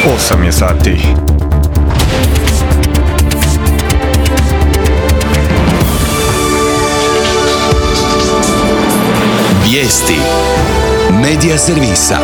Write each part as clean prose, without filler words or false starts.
8 je sati. Vijesti Medija servisa.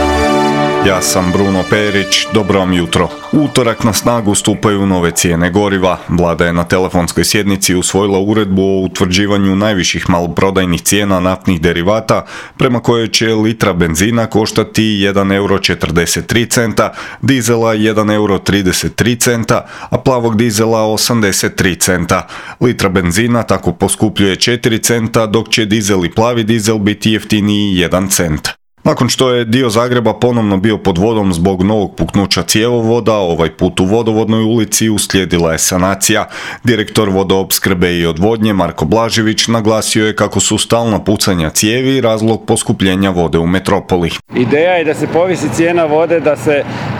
Ja sam Bruno Perić, dobro vam jutro. U utorak na snagu stupaju nove cijene goriva. Vlada je na telefonskoj sjednici usvojila uredbu o utvrđivanju najviših maloprodajnih cijena naftnih derivata, prema kojoj će litra benzina koštati 1,43 eura, dizela 1,33 eura, a plavog dizela 83 centa. Litra benzina tako poskupljuje 4 centa, dok će dizel i plavi dizel biti jeftiniji 1 cent. Nakon što je dio Zagreba ponovno bio pod vodom zbog novog puknuća cjevovoda, ovaj put u Vodovodnoj ulici uslijedila je sanacija. Direktor vodoopskrbe i odvodnje Marko Blažević naglasio je kako su stalna pucanja cijevi razlog poskupljenja vode u metropoli. Ideja je da se povisi cijena vode,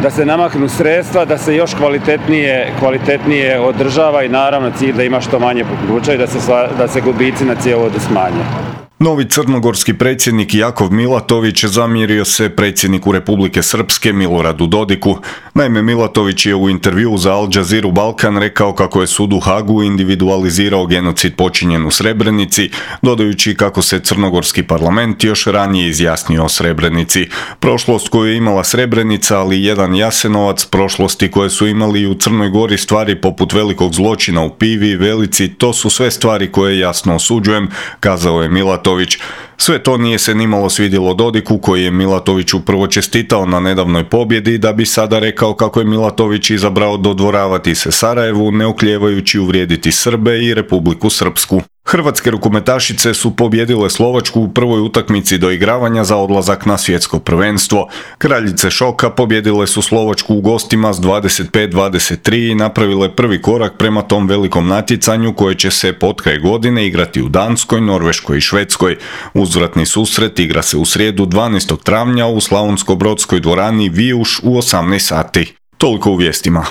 da se namaknu sredstva, da se još kvalitetnije održava i naravno cilj da ima što manje puknuća i da se gubici na cjevovodu smanje. Novi crnogorski predsjednik Jakov Milatović zamjerio se predsjedniku Republike Srpske Miloradu Dodiku. Naime, Milatović je u intervjuu za Al Jazeera Balkan rekao kako je sud u Hagu individualizirao genocid počinjen u Srebrenici, dodajući kako se crnogorski parlament još ranije izjasnio o Srebrenici. Prošlost koju je imala Srebrenica, ali i jedan Jasenovac, prošlosti koje su imali i u Crnoj Gori stvari poput velikog zločina u Pivi i Velici, to su sve stvari koje jasno osuđujem, kazao je Milatović. Sve to nije se nimalo svidjelo Dodiku, koji je Milatoviću prvo čestitao na nedavnoj pobjedi, da bi sada rekao kako je Milatović izabrao dodvoravati se Sarajevu, ne oklijevajući uvrijediti Srbe i Republiku Srpsku. Hrvatske rukometašice su pobijedile Slovačku u prvoj utakmici doigravanja za odlazak na svjetsko prvenstvo. Kraljice šoka pobijedile su Slovačku u gostima s 25-23 i napravile prvi korak prema tom velikom natjecanju koje će se potkraj godine igrati u Danskoj, Norveškoj i Švedskoj. Uzvratni susret igra se u srijedu 12. travnja u Slavonsko-brodskoj dvorani Vijuš u 18 sati. Toliko u vijestima.